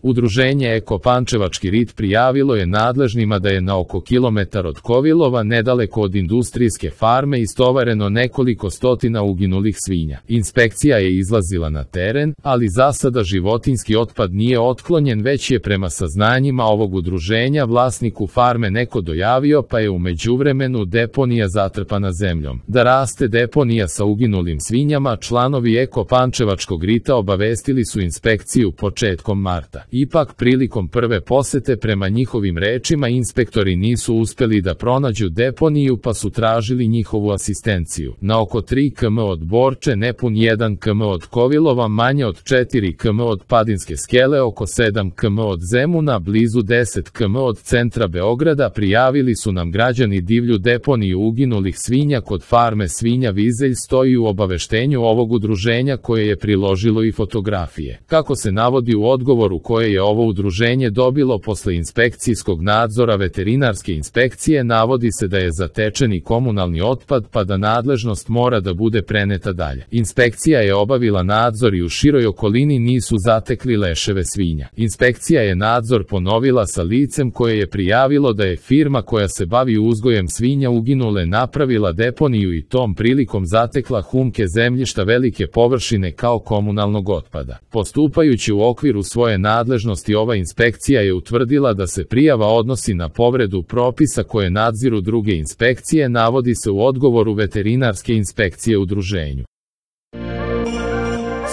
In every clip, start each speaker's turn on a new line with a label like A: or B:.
A: Udruženje Eko Pančevački rit prijavilo je nadležnima da je na oko kilometar od Kovilova, nedaleko od industrijske farme, istovareno nekoliko stotina uginulih svinja. Inspekcija je izlazila na teren, ali za sada životinjski otpad nije otklonjen, već je prema saznanjima ovog udruženja vlasniku farme neko dojavio, pa je u međuvremenu deponija zatrpana zemljom. Da raste deponija sa uginulim svinjama, članovi Eko Pančevačkog rita obavestili su inspekciju početkom marta. Ipak, prilikom prve posete, prema njihovim rečima, inspektori nisu uspeli da pronađu deponiju, pa su tražili njihovu asistenciju. Na oko 3 km od Borče, nepun 1 km od Kovilova, manje od 4 km od Padinske skele, oko 7 km od Zemuna, blizu 10 km od centra Beograda, prijavili su nam građani divlju deponiju uginulih svinja kod farme svinja Vizelj, stoji u obaveštenju ovog udruženja koje je priložilo i fotografije. Kako se navodi u odgovoru koje je ovo udruženje dobilo posle inspekcijskog nadzora veterinarske inspekcije, navodi se da je zatečeni komunalni otpad, pa da nadležnost mora da bude preneta dalje. Inspekcija je obavila nadzor i u široj okolini nisu zatekli leševe svinja. Inspekcija je nadzor ponovila sa licem koje je prijavilo da je firma koja se bavi uzgojem svinja uginule napravila deponiju i tom prilikom zatekla humke zemljišta velike površine kao komunalnog otpada. Postupajući u okviru svoje nadležnosti, ova inspekcija je utvrdila da se prijava odnosi na povredu propisa koje nadziru druge inspekcije, navodi se u odgovoru veterinarske inspekcije udruženju.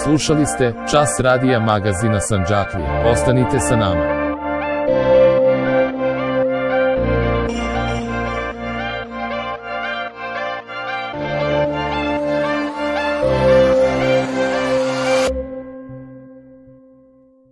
A: Slušali ste Čas radija magazina Sandžaklije. Ostanite sa nama.